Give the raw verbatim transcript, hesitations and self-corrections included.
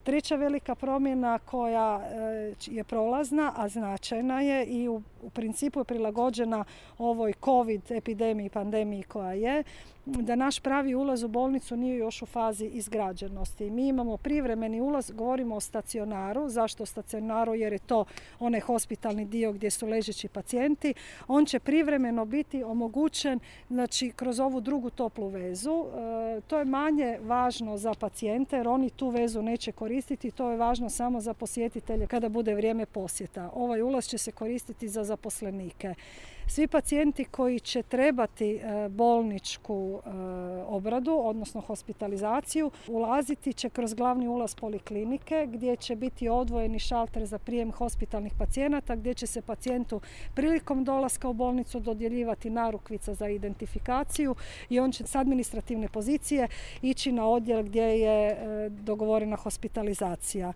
Treća velika promjena koja je prolazna, a značajna je i u, u principu je prilagođena ovoj COVID epidemiji, pandemiji koja je, da naš pravi ulaz u bolnicu nije još u fazi izgrađenosti. Mi imamo privremeni ulaz, govorimo o stacionaru. Zašto o stacionaru? Jer je to onaj hospitalni dio gdje su ležeći pacijenti. On će privremeno biti omogućen, znači, kroz ovu drugu toplu vezu. E, to je manje važno za pacijente jer oni tu vezu neće koristiti. To je važno samo za posjetitelje kada bude vrijeme posjeta. Ovaj ulaz će se koristiti za zaposlenike. Svi pacijenti koji će trebati bolničku obradu, odnosno hospitalizaciju, ulaziti će kroz glavni ulaz poliklinike gdje će biti odvojeni šalter za prijem hospitalnih pacijenata, gdje će se pacijentu prilikom dolaska u bolnicu dodjeljivati narukvica za identifikaciju i on će s administrativne pozicije ići na odjel gdje je dogovorena hospitalizacija.